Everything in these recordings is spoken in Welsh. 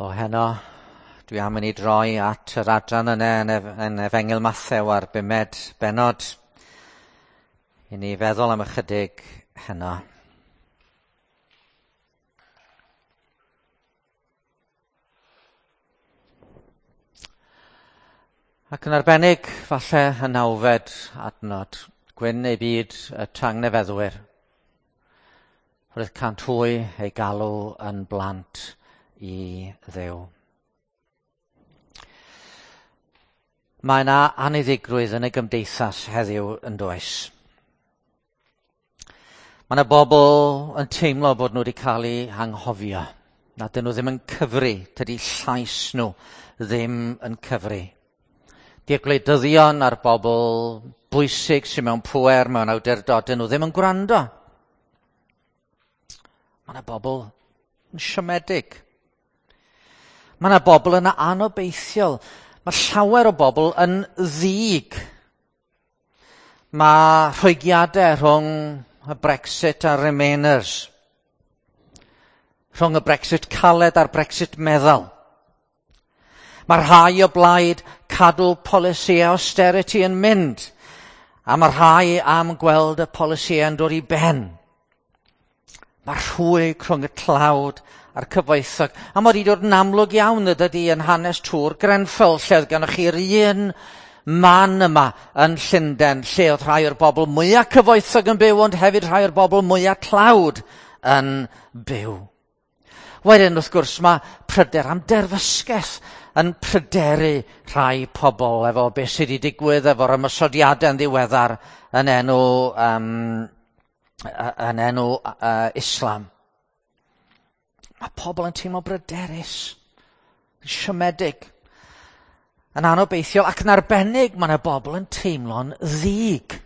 O heno, dwi am i ni droi at yr adran yna yn Efengyl Mathew a'r bumed bennod i ni feddwl am ychydig heno. Ac yn arbennig, falle y nawfed adnod, gwyn ei byd y tangnefeddwyr. Roedd cant hwy ei galw yn blant i Dduw. Mae yna aniddigrwydd yn y gymdeithas heddiw yn does. Mae yna bobl yn teimlo bod nhw wedi cael eu hanghofio. Na dyn nhw ddim yn cyfri, tydi llais nhw ddim yn cyfri. Di'r gwleidyddion a'r bobl bwysig sy'n mewn pŵer, mewn awdurdod, dyn nhw ddim yn gwrando. Mae yna bobl yn siomedig. Mae yna bobl yn anobeithiol. Mae llawer o bobl yn ddig. Mae rhwygiadau rhwng y Brexit a'r Remainers. Rhwng y Brexit caled a'r Brexit meddal. Mae rhai o blaid cadw polisi austerity yn mynd, a mae rhai am gweld y polisi yn dod i ben. Mae rhwyg rhwng y tlawd a'r cyfoethog. A mae wedi dod yn amlwg iawn ydy yn hanes Tŵr Grenfell, lle oedd gennych chi'r un man yma yn Llundain, lle oedd rhai o'r bobl mwyaf cyfoethog yn byw, ond hefyd rhai o'r bobl mwyaf tlawd yn byw. Wedyn, wrth gwrs, mae pryder am derfysgaeth yn pryderu rhai pobl efo beth sydd wedi digwydd efo'r ymosodiadau yn ddiweddar yn enw Islam. Mae pobl yn teimlo bryderus, yn siomedig, yn anobeithiol, ac yn arbennig mae yna bobl yn teimlo'n ddig.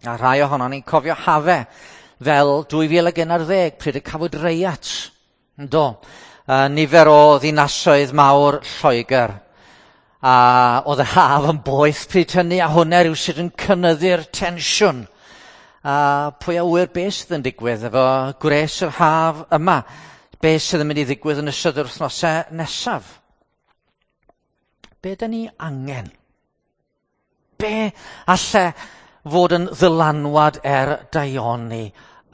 A rhai ohonon ni'n cofio hafe fel 2011, pryd y cafwyd reiat, yndo, nifer o ddinasoedd mawr Lloegr. A oedd y haf yn boeth pryd hynny, a hwnna rywsut yn cynyddu'r tensiwn. A pwy a ŵyr beth sydd yn digwydd efo gwres yr haf yma, beth sydd yn mynd i ddigwydd yn ystod yr wythnosau nesaf. Be dyn ni angen? Be alle fod yn ddylanwad er daioni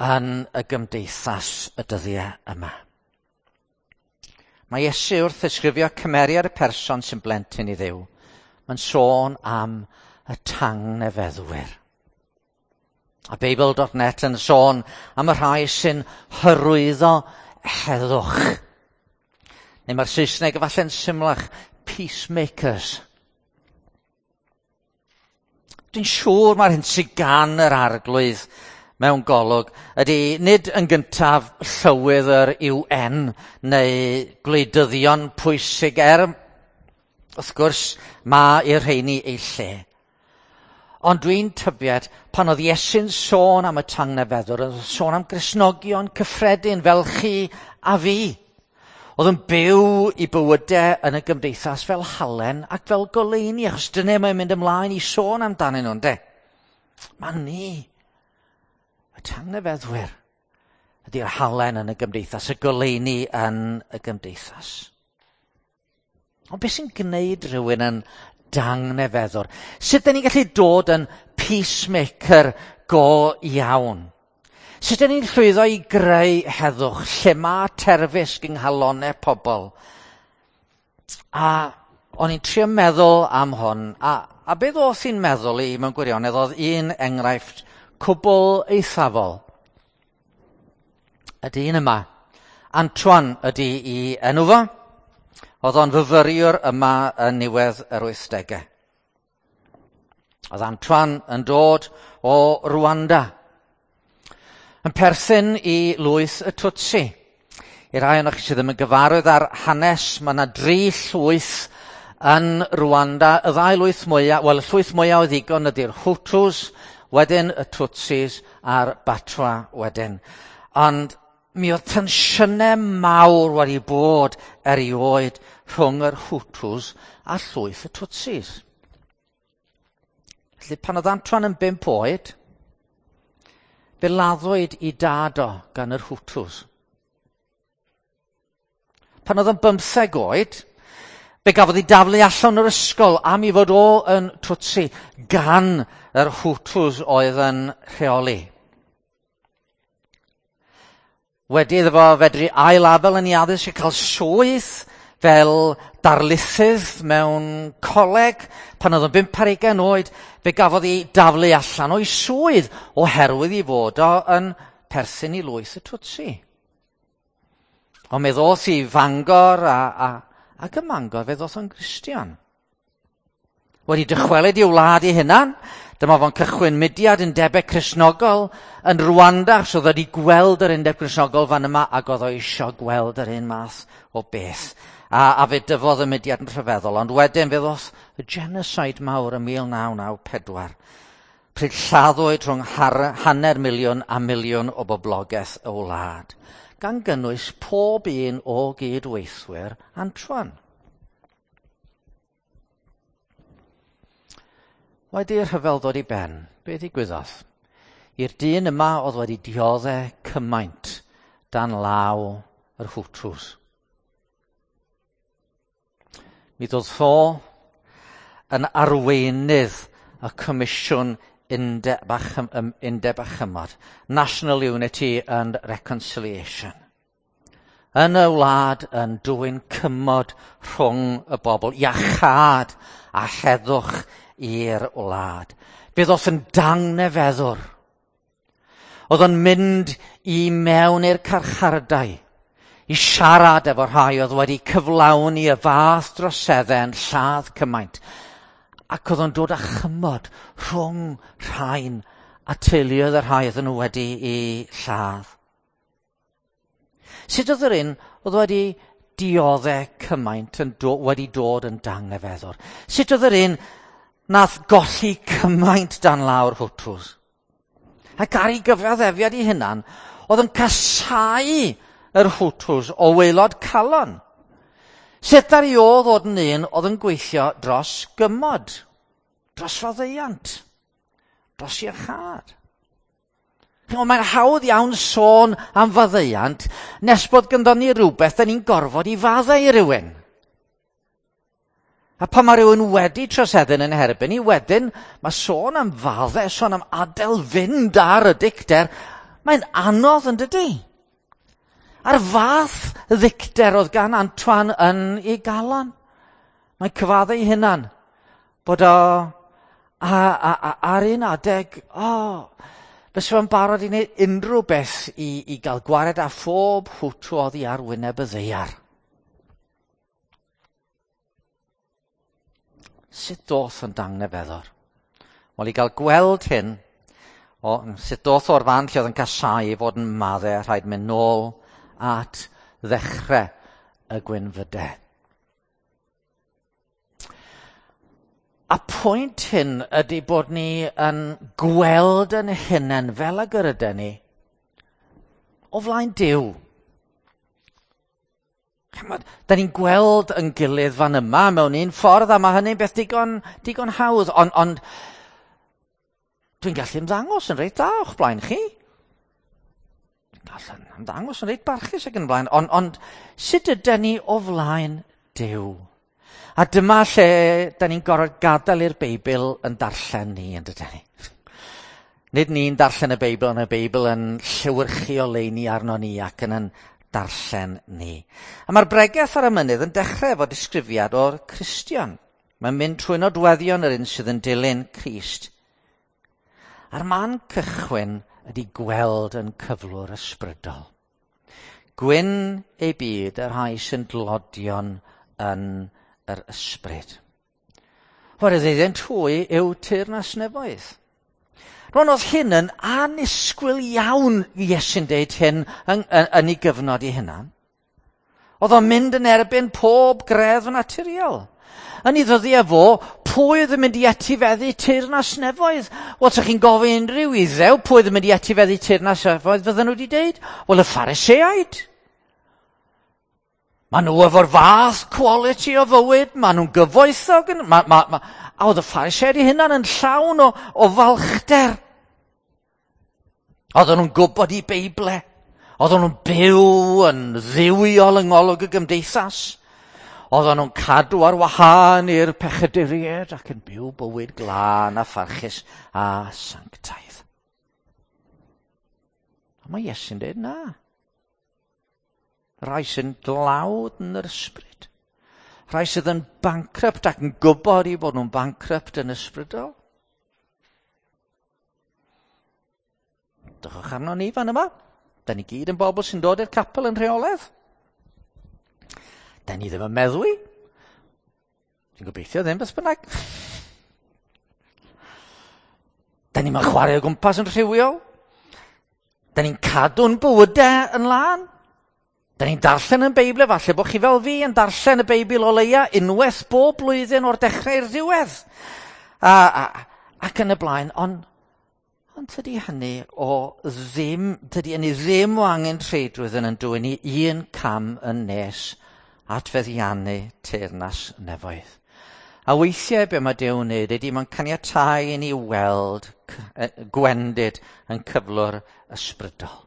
yn y gymdeithas y dyddiau yma? Mae Iesu wrth ddisgrifio cymeriad y person sy'n blentyn i Dduw. Mae'n sôn am y tangnefeddwyr. A Beibl.net yn sôn am y rhai sy'n hyrwyddo heddwch. Neu mae'r Saesneg efallai'n symlach, peacemakers. Dwi'n siŵr mae'r hyn sydd gan yr arglwydd mewn golwg ydy nid yn gyntaf llywydd yr UN neu gwleidyddion pwysig, wrth gwrs mae i'r rheini ei lle. Ond dwi'n tybied pan oedd Iesu'n sôn am y tangnefeddwr, oedd yn sôn am Gristnogion cyffredin fel chi a fi. Oedd yn byw i bywydau yn y gymdeithas fel halen ac fel goleuni, achos dyna mae'n mynd ymlaen i sôn amdanyn nhw, ynde? Mae ni, y tangnefeddwyr, ydy'r halen yn y gymdeithas, y goleuni yn y gymdeithas. Ond beth sy'n gwneud rhywun yn dangnefeddwr? Sut dyn ni'n gallu dod yn peacemaker go iawn? Sut dyn ni'n llwyddo i greu heddwch lle mae terfysg yng nghalonnau pobl? A o'n i'n trio meddwl am hwn, a beth oedd i'n meddwl i mewn gwirionedd oedd un enghraifft cwbl eithafol. Y dyn yma, Antoine ydy i enw fo. Oedd o'n fyfyriwr yma yn niwedd yr 80au. Oedd Antoine yn dod o Rwanda, yn perthyn i lwyth y Tutsi. I rai ohonoch chi sydd ddim yn gyfarwydd ar hanes, mae yna 3 llwyth yn Rwanda. Y ddau lwyth mwyaf, wel y llwyth mwyaf o ddigon ydy'r Hutus, wedyn y Tutsis a'r Batwa wedyn. Ond mi oedd tensiynau mawr wedi bod erioed rhwng yr Hutus a llwyth y Tutsis. Felly pan oedd Antoine yn 5 oed, fe laddwyd i dad o gan yr Hutus. Pan oedd yn 15 oed, fe gafodd ei daflu allan o'r ysgol am ei fod o yn Tutsi gan yr Hutus oedd yn rheoli. Wedi iddo fo fedru ail-afel yn ei addysg a cael swydd fel darlithydd mewn coleg, pan oedd yn 25 oed, fe gafodd ei daflu allan o'i swydd oherwydd ei fod o yn perthyn i lwyth y Tutsi. Ond mi ddoth i Fangor ac ym Mangor fe ddoth o'n Gristion. Wedi dychwelyd i'w wlad ei hunan, dyma fo'n cychwyn mudiad undebau Cristnogol yn Rwanda, achos oedd wedi gweld yr undeb Cristnogol fan yma ac oedd o eisiau gweld yr un math o beth. A fe dyfodd y mudiad yn rhyfeddol, ond wedyn fe ddoth y genocide mawr ym 1994, pryd lladdwyd rhwng 500,000 a 1,000,000 o boblogaeth y wlad, gan gynnwys pob un o gydweithwyr Antoine. Wedi'r rhyfel ddod i ben, be ddigwyddodd? I'r dyn yma oedd wedi dioddau cymaint dan law yr Hutus. Mi ddodd fo yn arweinydd y Comisiwn Undeb a Chymod, National Unity and Reconciliation. Yn y wlad yn dwyn cymod rhwng y bobl, iachâd a heddwch i'r wlad. Fe ddoth yn dangnefeddwr. Oedd o'n mynd i mewn i'r carchardai i siarad efo rhai oedd wedi cyflawni y fath droseddau yn lladd cymaint. Ac oedd o'n dod â chymod rhwng rhain a teuluoedd y rhai oedden nhw wedi i lladd. Sut oedd yr un oedd wedi dioddau cymaint yn wedi dod yn dangnefeddwr? Sut oedd yr un nath golli cymaint dan lawr Hutus? Ac ar ei gyfaddefiad ei hunan, oedd yn casáu yr Hutus o waelod calon. Sut ar ei ôl ddod yn un oedd yn gweithio dros gymod, dros faddeuant, dros iachâd. Mae'n hawdd iawn sôn am faddeuant nes bod ganddo ni rhywbeth da ni'n gorfod i faddau i rywun. A pan mae rhywun wedi troseddu yn erbyn ni, wedyn mae sôn am faddau, sôn am adael fynd ar y dicter, mae'n anodd yn dydy? A'r fath ddicter oedd gan Antoine yn ei galon. Mae'n cyfaddau ei hunan bod o ar un adeg, fysa fo'n barod i wneud unrhyw beth i gael gwared â phob Hutu oddi ar wyneb y ddaear. Sut doth yn dangnefeddwr? Wel, i gael gweld hyn, sut doth o'r fan lle oedd yn casáu i fod yn maddau, rhaid mynd nôl at ddechrau y gwynfydau. A pwynt hyn ydy bod ni yn gweld yn hunain fel ag yr ydyn ni o flaen Duw. Da ni'n gweld yn gilydd fan yma mewn un ffordd, a mae hynny'n beth digon hawdd, ond dwi'n gallu ymddangos yn reit dda o'ch blaen chi. Dwi'n gallu ymddangos yn reit barchus ac yn blaen, ond sut ydyn ni o flaen Duw? A dyma lle da ni'n gorfod gadael i'r Beibl yn darllen ni, yn dydyn ni. Nid ni'n darllen y Beibl, ond y Beibl yn llewyrchu oleuni arno ni ac yn darllen ni. A mae'r bregeth ar y mynydd yn dechrau efo disgrifiad o'r Cristion. Mae'n mynd trwy nodweddion yr un sydd yn dilyn Crist. A'r man cychwyn ydy gweld yn cyflwr ysbrydol. Gwyn ei byd y rhai sy'n dlodion yn yr ysbryd. Oherwydd iddynt hwy yw teyrnas nefoedd. Rwan oedd hyn yn annisgwyl iawn Iesu'n deud hyn yn ei gyfnod ei hunan. Oedd o'n mynd yn erbyn pob greddf naturiol. Yn ei ddyddiau fo, pwy oedd yn mynd i etifeddu teyrnas nefoedd? Wel, sa chi'n gofyn unrhyw Iddew, pwy oedd yn mynd i etifeddu teyrnas nefoedd, fydden nhw wedi deud? Wel, y Phariseaid. Maen nhw efo'r fath quality o fywyd, maen nhw'n gyfoethog. A oedd y Phariseaid eu hunan yn llawn o falchder. Oedden nhw'n gwybod eu Beible. Oedden nhw'n byw yn dduwiol yng ngolwg y gymdeithas. Oedden nhw'n cadw ar wahân i'r pechaduriaid ac yn byw bywyd glân a pharchus a sanctaidd. A mae Iesu'n dweud na. Rhai sy'n dlawd yn yr ysbryd. Rhai sydd yn bankrupt ac yn gwybod eu bod nhw'n bankrupt yn ysbrydol. Drychwch arno ni fan yma. Da ni gyd yn bobl sy'n dod i'r capel yn rheolaidd. Da ni ddim yn meddwi. Dwi'n gobeithio ddim beth bynnag. Da ni'n chwarae o gwmpas yn rhywiol. Da ni'n cadw'n bywydau yn lân. Da ni'n darllen yn Beibl, falle bod chi fel fi yn darllen y Beibl o leia unwaith bob blwyddyn o'r dechrau i'r diwedd. Ac yn y blaen, ond tydi hynny o ddim, tydi hynny ddim o angen treidrwydd yn dwyn ni un cam yn nes at feddiannu teyrnas nefoedd. A weithiau be mae Duw'n wneud ydy mae'n caniatáu i ni weld gwendid yn cyflwr ysbrydol.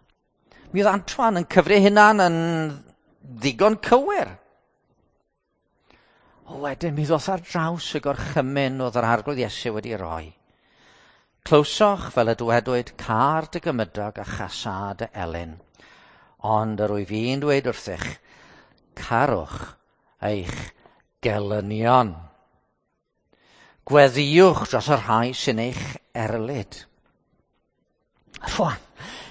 Mi oedd Antoine yn cyfri hunan yn ddigon cywir. O wedyn mi ddoth ar draws y gorchymyn oedd yr Arglwydd Iesu wedi roi. Clywsoch fel y dywedwyd car dy gymydog a chasâ dy elyn. Ond yr wyf i'n dweud wrthych, carwch eich gelynion. Gweddïwch dros y rhai sy'n eich erlid. Rwan,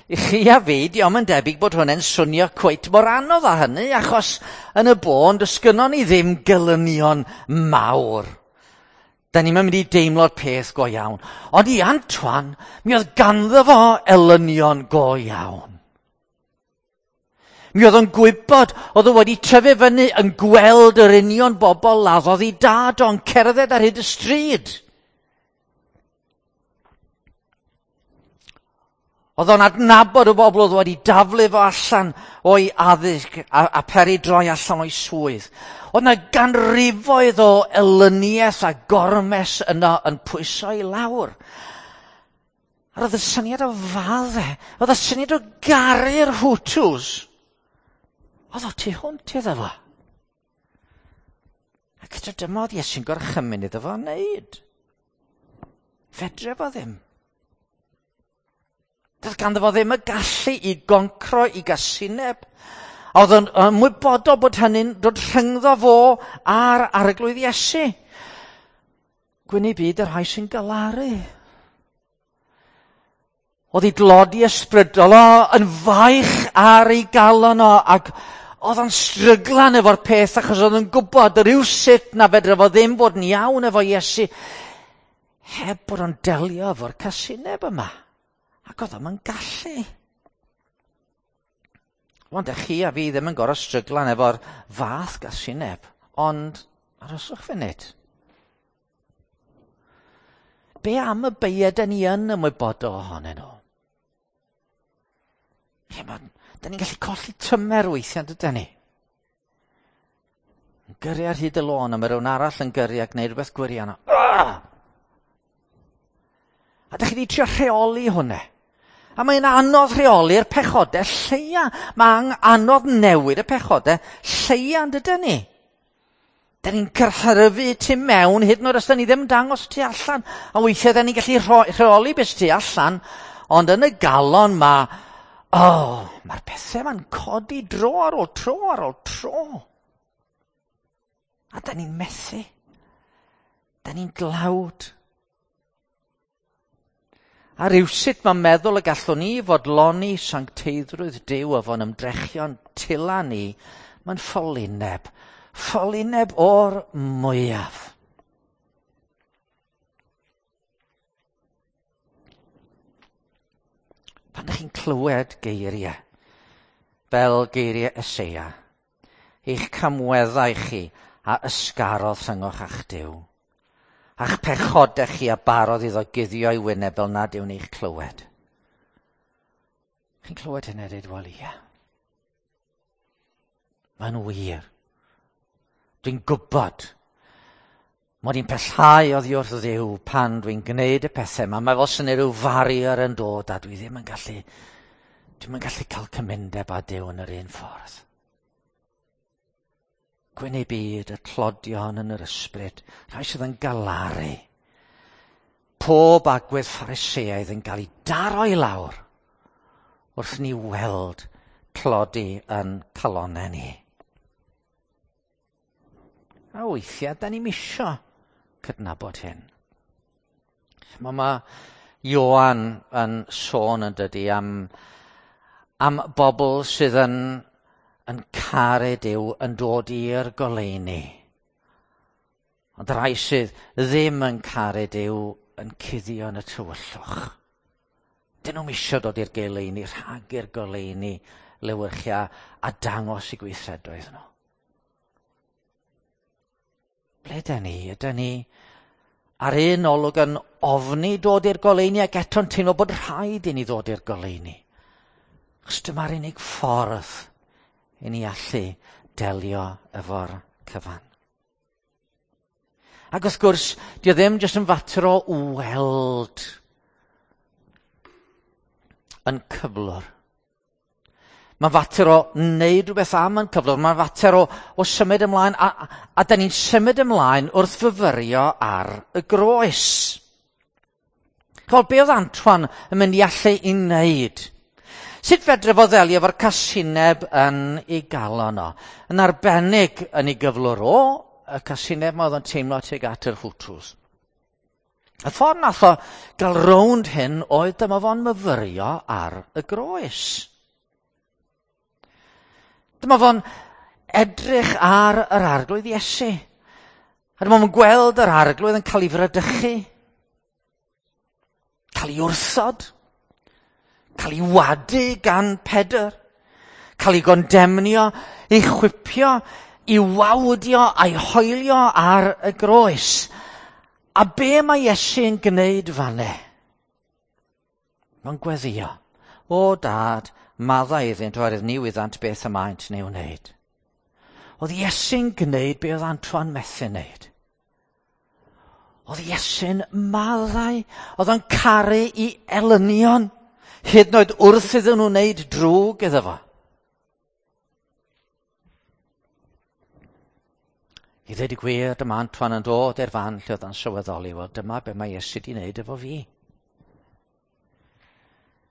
i chi a fi, diolch yn debyg bod hwn yn swnio cweit mor anodd â hynny, achos yn y bôn, does gynnon ni ddim gelynion mawr. Da ni'n mynd i deimlo'r peth go iawn. Ond i Antoine, mi oedd ganddo fo elynion go iawn. Mi oedd o'n gwybod, oedd o wedi tyfu fyny yn gweld yr union bobl laddodd ei dad o'n cerdded ar hyd y stryd. Oedd o'n adnabod y bobl oedd wedi daflu fo allan o'i addysg a peri droi allan o'i swydd. Oedd yna ganrifoedd o elyniaeth a gormes yno yn pwyso i lawr. A roedd y syniad o fadde, oedd y syniad o garu'r Hutus. Oedd o tu hwnt iddo fo. Ac eto dyma oedd Iesu'n gorchymyn iddo fo wneud. Fedre fo ddim. Doedd ganddo fo ddim y gallu i goncro i gasineb. A oedd yn ymwybodol bod hynny'n dod rhyngddo fo a'r Arglwydd Iesu. Gwyn i byd y rhai sy'n galaru. Oedd ei dlodi ysbrydol o yn faich ar ei galon o, ac oedd o'n stryglan efo'r peth achos oedd o'n gwybod rywsut na fedra fo ddim fod yn iawn efo Iesu heb bod o'n delio efo'r casineb yma. Ac oedd o'm yn gallu. Wan, dych chi a fi ddim yn gorfod stryglan efo'r fath gasineb, ond arhoswch funud. Be am y beiau da ni yn ymwybodol ohonyn nhw? Da ni'n gallu colli tymer weithiau, dydyn ni? Yn gyrru ar hyd y lôn, a mae rhywun arall yn gyrru a gwneud rhywbeth gwirion. A dych chi wedi trio rheoli hwnna. A mae'n anodd rheoli'r pechodau lleia. Mae'n anodd newid y pechodau lleia, yn dydyn ni? Da ni'n cyrhyfu tu mewn, hyd yn oed os da ni ddim yn dangos tu allan. A weithiau da ni'n gallu rheoli beth tu allan, ond yn y galon mae, mae'r pethau ma'n codi dro ar ôl tro ar ôl tro. A da ni'n methu. Da ni'n glawd. A rywsut mae'n meddwl y gallwn ni fodloni sancteiddrwydd Duw efo'n ymdrechion tila ni, mae'n ffolineb. Ffolineb o'r mwyaf. Pan ydych chi'n clywed geiriau, fel geiriau Eseia, eich camweddau chi a ysgarodd rhyngoch a'ch Duw, a'ch pechodau chi a barodd iddo guddio ei wyneb fel nad yw'n eich clywed. Chi'n clywed hynny a dweud, wel ie. Mae'n wir. Dwi'n gwybod mod i'n pellhau oddi wrth Dduw pan dwi'n gwneud y pethau yma. Mae fel sy'n rhyw farier yn dod a dwi ddim yn gallu Dwi'm yn gallu cael cymundeb â Duw yn yr un ffordd. Gwyn eu byd, y tlodion yn yr ysbryd, rhai sydd yn galaru. Pob agwedd Phariseaidd yn cael ei daro i lawr wrth ni weld tlodi yn calonnau ni. A weithiau, da ni'm isio cydnabod hyn. Mae Ioan yn sôn yn dydy am bobl sydd yn caru Duw yn dod i'r goleuni. Ond rhai sydd ddim yn caru Duw yn cuddio yn y tywyllwch. Dyn nhw'm isio dod i'r goleuni, rhag i'r goleuni lewyrchia a dangos eu gweithredoedd nhw. Ble ydyn ni? Ydyn ni ar un olwg yn ofni dod i'r goleuni ac eto'n teimlo bod rhaid i ni ddod i'r goleuni? Achos dyma'r unig ffordd i ni allu delio efo'r cyfan. Ac wrth gwrs, di o ddim jyst yn fater o weld yn cyflwr. Mae'n fater o wneud rhywbeth am yn cyflwr. Mae'n fater o symud ymlaen. A da ni'n symud ymlaen wrth fyfyrio ar y groes. Ch'mod, be oedd Antoine yn mynd i allu i wneud? Sut fedre fo ddelio efo'r casineb yn ei galon o? Yn arbennig yn ei gyflwr o, y casineb ma oedd o'n teimlo tuag at yr Hutus. Y ffordd nath o gael rownd hyn oedd dyma fo'n myfyrio ar y groes. Dyma fo'n edrych ar yr Arglwydd Iesu. A dyma fo'n gweld yr Arglwydd yn cael ei fradychu, cael ei wrthod, cael ei wadu gan Pedr, cael ei gondemnio, ei chwipio, ei wawdio a'i hoelio ar y groes. A be mae Iesu'n gwneud fanne? Mae'n gweddio. O dad, maddau iddynt oherwydd ni wyddant beth y maent yn ei wneud. Oedd Iesu'n gwneud be oedd Antoine methu wneud. Oedd Iesu'n maddau, oedd o'n caru i elynion, hyd yn oed wrth iddyn nhw wneud drwg iddo fo. I ddweud y gwir, dyma Antoine yn dod i'r fan lle oedd o'n sylweddoli, wel dyma be mae Iesu di wneud efo fi.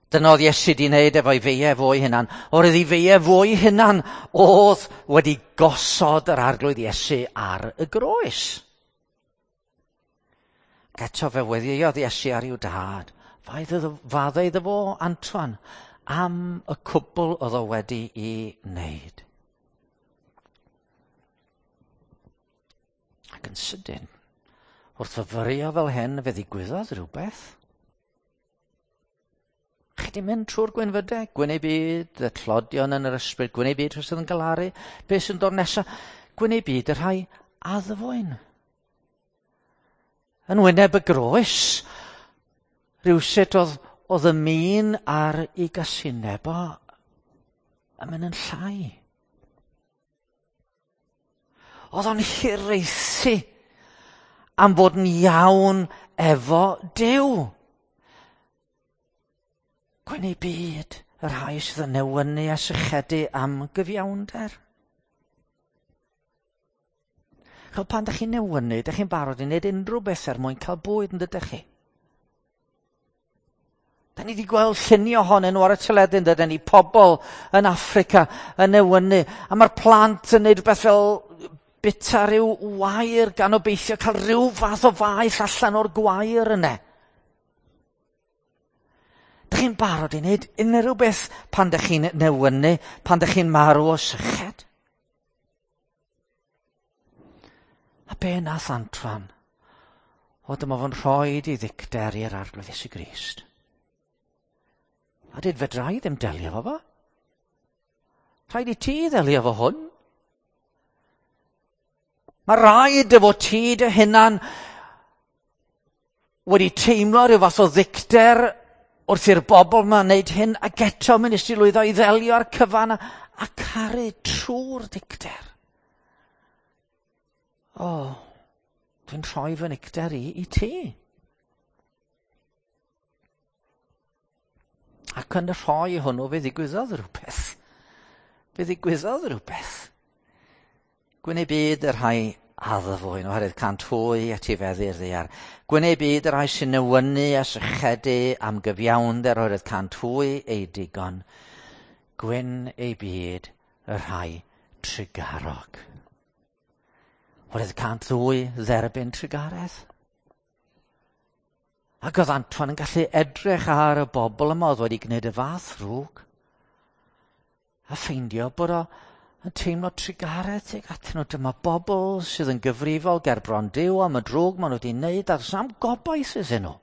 Dyna oedd Iesu di wneud efo'i feiau fo'i hunan. Oherwydd ei feiau fo'i hunan oedd wedi gosod yr Arglwydd Iesu ar y groes. Ac eto fe weddïodd Iesu ar i'w dad. Faddau iddo fo, Antoine, am y cwbl oedd o wedi i wneud. Ac yn sydyn, wrth fyfyrio fel hyn, fe ddigwyddodd rhywbeth. Chi di mynd trwy'r gwynfydau, gwyn eu byd, y tlodion yn yr ysbryd, gwyn eu byd rhai sydd yn galaru, beth sy'n dod nesaf, gwyn eu byd y rhai addfwyn. Yn wyneb y groes, rhywsut oedd y min ar ei gasineb o yn mynd yn llai. Oedd o'n hiraethu am fod yn iawn efo Duw. Gwyn eu byd, y rhai sydd yn newynu a sychedu am gyfiawnder. Ch'mod, pan dych chi'n newynu, dych chi'n barod i wneud unrhyw beth er mwyn cael bwyd, yn dydych chi? Da ni wedi gweld lluniau ohonyn nhw ar y teledu, yn dydyn ni, pobl yn Affrica yn newynu, a mae'r plant yn neud rhywbeth fel bita rhyw wair gan obeithio cael rhyw fath o faeth allan o'r gwair yna. Dych chi'n barod i wneud unrhyw beth pan dych chi'n newynu, pan dych chi'n marw o syched? A be nath Antoine? O, dyma fo'n rhoi i ddicter i'r Arglwydd Iesu Grist. A dweud, fedra i ddim delio efo fo. Rhaid i ti ddelio efo hwn. Mae rhaid efo ti dy hunan wedi teimlo rhyw fath o ddicter wrth i'r bobl yma wneud hyn, ac eto mi nes ti lwyddo i ddelio â'r cyfan a caru trwy'r dicter. O, dwi'n rhoi fy nicter i ti. Ac yn y rhoi hwnnw fe ddigwyddodd rhywbeth. Fe ddigwyddodd rhywbeth. Gwyn eu byd y rhai addfwyn, oherwydd cant hwy etifeddu'r ddaear. Gwyn eu byd y rhai sy'n newynu a sychedu am gyfiawnder, oherwydd cant hwy eu digon. Gwyn eu byd y rhai trugarog. Oherwydd cant ddwy dderbyn trugaredd. Ac oedd Antoine yn gallu edrych ar y bobl yma oedd wedi gwneud y fath ddrwg a ffeindio bod o yn teimlo trugaredd tuag atyn nhw. Dyma bobl sydd yn gyfrifol ger bron Duw am y drwg maen nhw wedi wneud a does am gobaith iddyn nhw.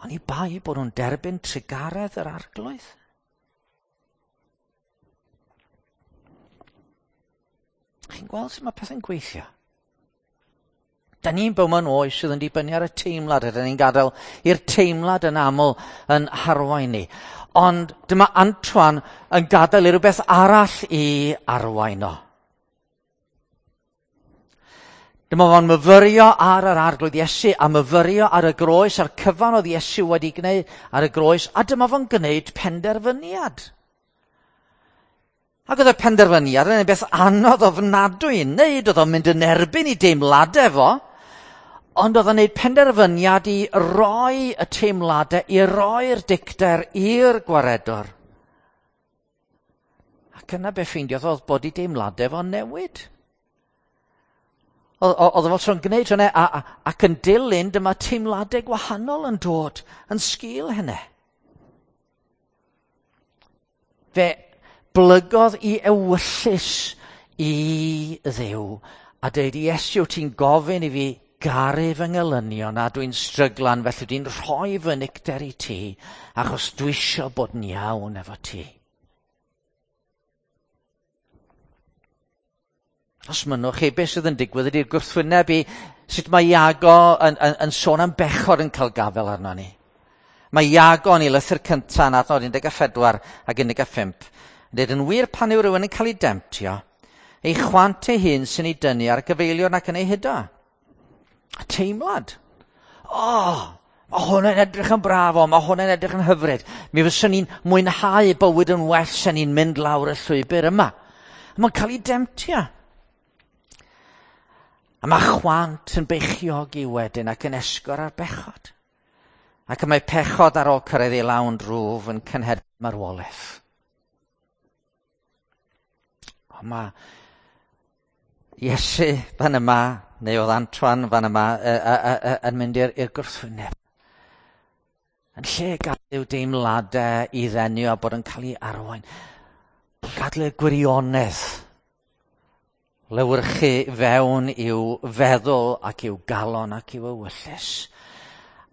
Oni bai bod nhw'n derbyn trugaredd yr Arglwydd. Chi'n gweld sut mae pethau'n gweithio? Da ni'n byw mewn oes sydd yn dibynnu ar y teimlad, a da ni'n gadael i'r teimlad yn aml yn harwain ni. Ond dyma Antoine yn gadael i rywbeth arall i arwain o. Dyma fo'n myfyrio ar yr Arglwydd Iesu a myfyrio ar y groes, a'r cyfan oedd Iesu wedi gwneud ar y groes, a dyma fo'n gwneud penderfyniad. Ac oedd y penderfyniad yn beth anodd ofnadwy i wneud, oedd o'n mynd yn erbyn i deimladau fo, ond oedd o'n gwneud penderfyniad i roi y teimladau, i roi'r dicter i'r gwaredwr. Ac yna be ffeindiodd oedd bod i deimladau fo'n newid. Oedd o fel tro'n gwneud hynny, ac yn dilyn dyma teimladau gwahanol yn dod yn sgil hynny. Fe blygodd i ewyllys i Dduw a dweud, Iesu, ti'n gofyn i fi garu fy ngelynion a dwi'n stryglan, felly dwi'n rhoi fy nicter i ti achos dwi isio bod yn iawn efo ti. Os mynnwch chi, beth sydd yn digwydd ydy'r gwrthwyneb i sut mae Iago yn sôn am bechod yn cael gafel arno ni. Mae Iago yn ei lythyr cyntaf yn adnod 14 ac 15 yn dweud, yn wir pan yw rhywun yn cael ei demtio, ei chwant ei hun sy'n ei dynnu ar gyfeilion ac yn ei hudo. A teimlad. O, mae hwnna'n edrych yn braf, o, mae hwnna'n edrych yn hyfryd. Mi fyswn ni'n mwynhau bywyd yn well sy'n ni'n mynd lawr y llwybr yma. Mae'n cael ei demtio. A mae chwant yn beichiogi wedyn ac yn esgor ar bechod. Ac mae pechod ar ôl cyrraedd ei lawn drwf yn cynheddu marwolaeth. Ond mae Iesu fan yma, neu oedd Antoine fan yma, yn mynd i'r gwrthwyneb. Yn lle gadael i'w deimladau i ddenu a bod yn cael ei arwain, gadael i'r gwirionedd lewyrchu fewn i'w feddwl ac i'w galon ac i'w ewyllys.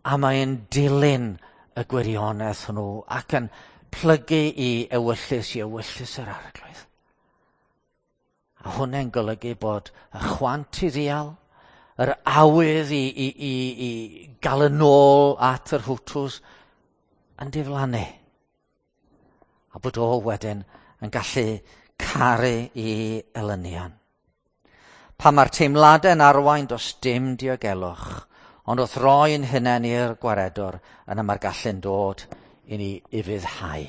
A mae'n dilyn y gwirionedd hwnnw ac yn plygu i ewyllys yr Arglwydd. A hwnna'n golygu bod y chwant i ddial, yr awydd i gael yn ôl at yr Hutus yn diflannu. A bod o wedyn yn gallu caru i elynion. Pan mae'r teimladau'n arwain does dim diogelwch, ond wrth roi'n hunain i'r gwaredwr, yna mae'r gallu'n dod i ni ufuddhau.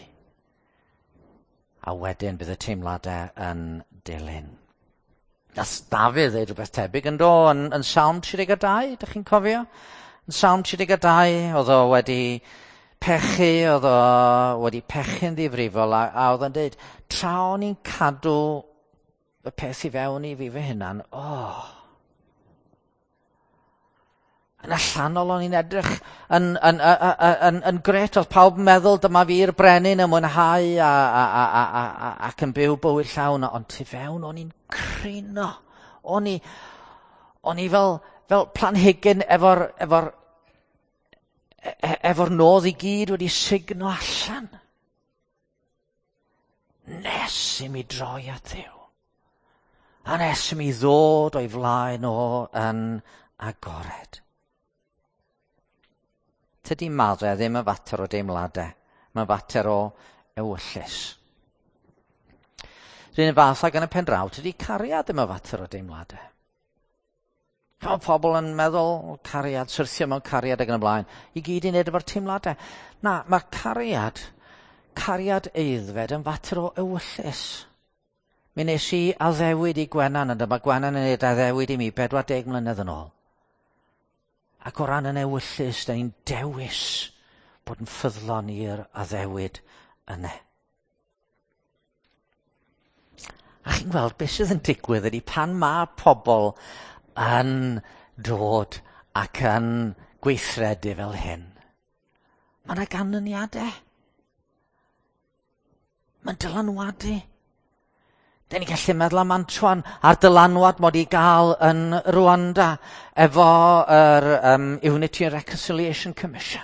A wedyn bydd y teimladau yn dilyn. Nath Dafydd ddeud rhywbeth tebyg yn do, yn Salm 32, ydych chi'n cofio? Yn Salm 32, oedd o wedi pechu, oedd o wedi pechu'n ddifrifol, a oedd o'n dweud, tra o'n i'n cadw y peth i fewn i fi fy hunan, Yn allanol o'n i'n edrych yn gret, oedd pawb yn meddwl dyma fi'r brenin yn mwynhau ac yn byw bywyd llawn, ond tu fewn o'n i'n crino. O'n i fel planhigyn efo'r nodd i gyd wedi sugno allan. Nes i mi droi at Dduw. A nes i mi ddod o'i flaen o yn agored. Tydi maddau ddim yn fater o deimladau. Mae'n fater o ewyllys. Rhywun fath ag yn y pen draw, tydi cariad ddim yn fater o deimladau. Mae pobl yn meddwl cariad, syrthio mewn cariad ac yn y blaen, i gyd i wneud efo'r teimladau. Na, mae cariad cariad aeddfed yn fater o ewyllys. Mi nes i addewid i Gwenan, ond mae Gwenan yn ei addewid i mi 40 mlynedd yn ôl. Ac o ran yn ewyllys, da ni'n dewis bod yn ffyddlon i'r addewid yna. A chi'n gweld beth sydd yn digwydd ydy pan mae pobl yn dod ac yn gweithredu fel hyn, mae yna ganlyniadau. Mae'n dylanwadu. Da ni'n gallu meddwl am Antoine a'r dylanwad mod i gael yn Rwanda efo yr Unity and Reconciliation Commission.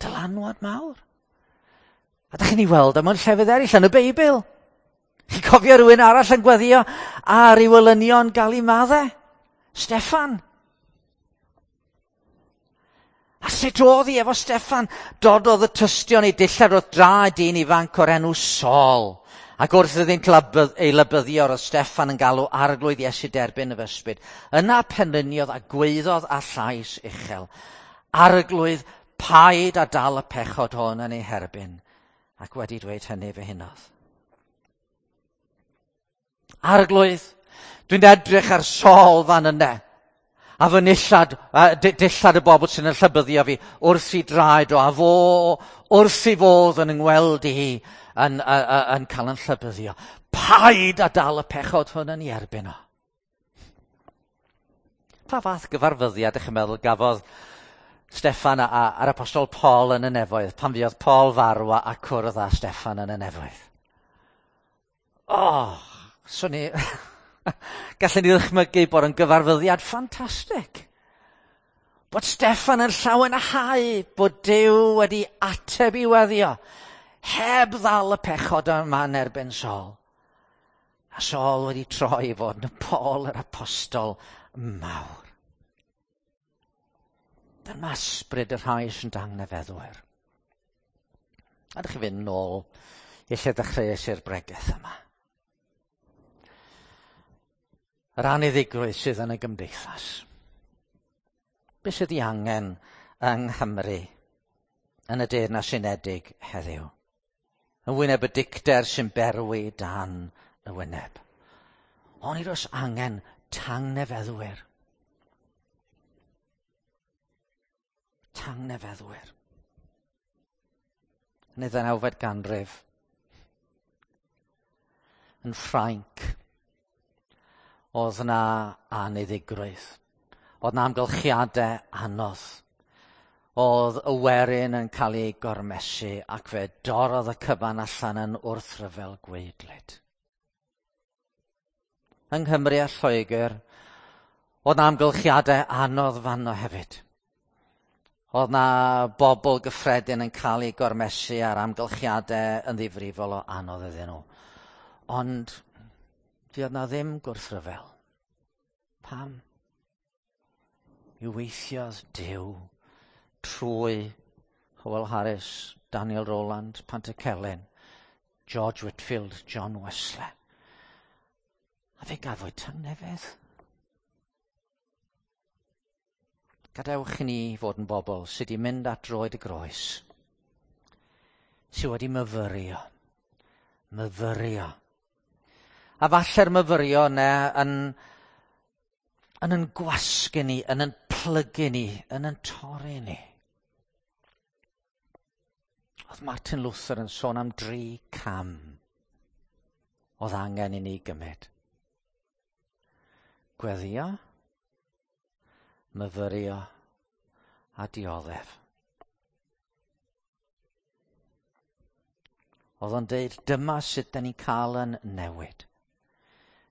Dylanwad mawr. A da chi'n ei weld am llefydd eraill yn y Beibl. Chi'n cofio rhywun arall yn gweddio ar ei welynion gael ei maddau? Steffan. A sut oedd hi efo Steffan? Dododd y tystion ei dillad wrth draed dyn ifanc o'r enw Saul. Ac wrth iddynt ei lybyddio roedd Steffan yn galw arglwydd Iesu derbyn y ysbryd. Yna penliniodd a gweiddodd â llais uchel. Arglwydd, paid a dal y pechod hwn yn ei herbyn. Ac wedi dweud hynny fe hunodd. Arglwydd, dwi'n edrych ar Saul fan yna. A fy nillad, dillad y bobl sy'n yn llybyddio fi wrth i draed o, a fo wrth i fodd yn yngweld i yn cael yn llybyddio. Paid a dal y pechod hwn yn ei erbyn o. Pa fath gyfarfyddiad ych chi'n meddwl gafodd Steffan a'r apostol Paul yn y nefoedd, pan fuodd Paul farw a cwrdd â Steffan yn y nefoedd? Oh, swn i... Gallen ni ddychmygu bod yn gyfarfyddiad ffantastig. Bod Steffan yn llawenhau bod Duw wedi ateb i weddio, heb ddal y pechod yma yn erbyn Saul. A Saul wedi troi i fod yn Paul yr apostol mawr. Dyma ysbryd y rhai sy'n dangnefeddwyr. A ydych chi fynd nôl i lle dechreuais i'r bregeth yma. Yr aniddigrwydd sydd yn y gymdeithas. Be sydd ei angen yng Nghymru yn y Deyrnas Unedig heddiw? Yn wyneb y dicter sy'n berwi dan y wyneb. Onid oes angen tangnefeddwyr? Tangnefeddwyr. Yn y 19fed ganrif, yn Ffrainc, oedd na aniddigrwydd. Oedd na amgylchiadau anodd. Oedd y werin yn cael ei gormesu ac fe dorrodd y cyfan allan yn wrthryfel gwaedlyd. Yng Nghymru a Lloegr, oedd na amgylchiadau anodd fanno hefyd. Oedd na bobl gyffredin yn cael ei gormesu a'r amgylchiadau yn ddifrifol o anodd iddyn nhw. Ond fuodd na ddim gwrthryfel. Pam? I weithiodd Duw trwy Howell Harris, Daniel Rowland, Pantycelyn, George Whitfield, John Wesley. A fe gafwyd tangnefedd. Gadewch i ni fod yn bobl sydd wedi mynd at droed y groes, sydd wedi myfyrio. A falle'r myfyrio yna yn gwasgu ni, yn plygu ni, yn torri ni. Oedd Martin Luther yn sôn am 3 cam oedd angen i ni gymryd. Gweddio, myfyrio a dioddef. Oedd o'n deud, dyma sut da ni'n cael yn newid.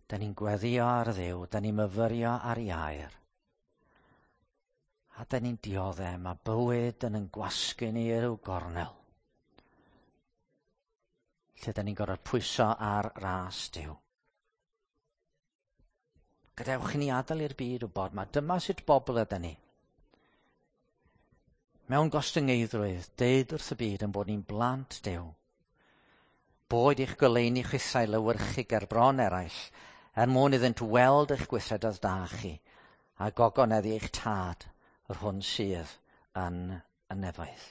Da ni'n gweddio ar Dduw, da ni'n myfyrio ar ei air. A da ni'n dioddef, mae bywyd yn gwasgu ni i ryw gornel. Lle da ni'n gorfod pwyso ar ras Duw. Gadewch i ni adael i'r byd wybod, mae dyma sut bobl ydyn ni. Mewn gostyngeiddrwydd, deud wrth y byd yn bod ni'n blant Duw. Boed i'ch goleuni chwithau lewyrchu ger bron eraill, er mwyn iddynt weld eich gweithredoedd da chi, a gogoneddu eich tad, yr hwn sydd yn y nefoedd.